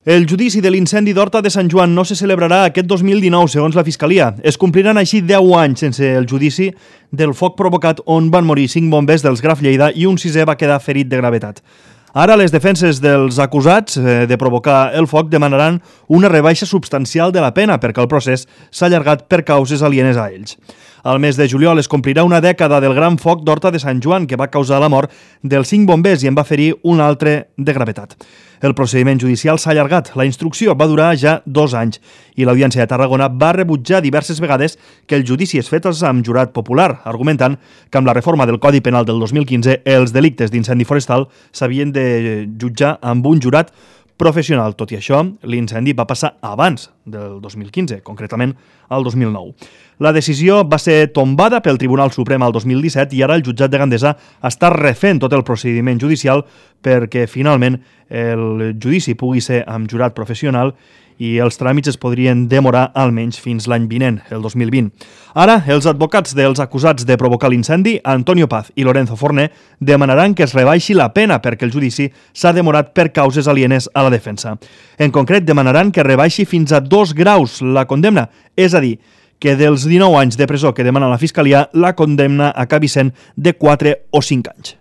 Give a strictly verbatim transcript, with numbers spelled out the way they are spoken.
El judici de l'incendi d'Horta de Sant Joan no se celebrarà aquest dos mil dinou, segons la Fiscalia. Es compliran així deu anys sense el judici del foc provocat on van morir cinc bombers dels Graf Lleida i un sisè va quedar ferit de gravetat. Ara les defenses dels acusats de provocar el foc demanaran una rebaixa substancial de la pena perquè el procés s'ha allargat per causes alienes a ells. Al mes de juliol es complirà una dècada del gran foc d'Horta de Sant Joan que va causar la mort dels cinc bombers i en va ferir un altre de gravetat. El procediment judicial s'ha allargat. La instrucció va durar ja dos anys i l'Audiència de Tarragona va rebutjar diverses vegades que el judici es fes amb jurat popular, argumentant que amb la reforma del Codi Penal del dos mil quinze els delictes d'incendi forestal s'havien de jutjar amb un jurat professional. Tot i això, l'incendi va passar abans del dos mil quinze, concretament al dos mil nou. La decisió va ser tombada pel Tribunal Suprem al dos mil disset i ara el jutjat de Gandesa està refent tot el procediment judicial perquè finalment el judici pugui ser amb jurat professional i els tràmits es podrien demorar almenys fins l'any vinent, el dos mil vint. Ara, els advocats dels acusats de provocar l'incendi, Antonio Paz i Lorenzo Forné, demanaran que es rebaixi la pena perquè el judici s'ha demorat per causes alienes a la defensa. En concret, demanaran que rebaixi fins a dos graus la condemna, és a dir, que dels dinou anys de presó que demana la Fiscalia, la condemna acabi sent de quatre o cinc anys.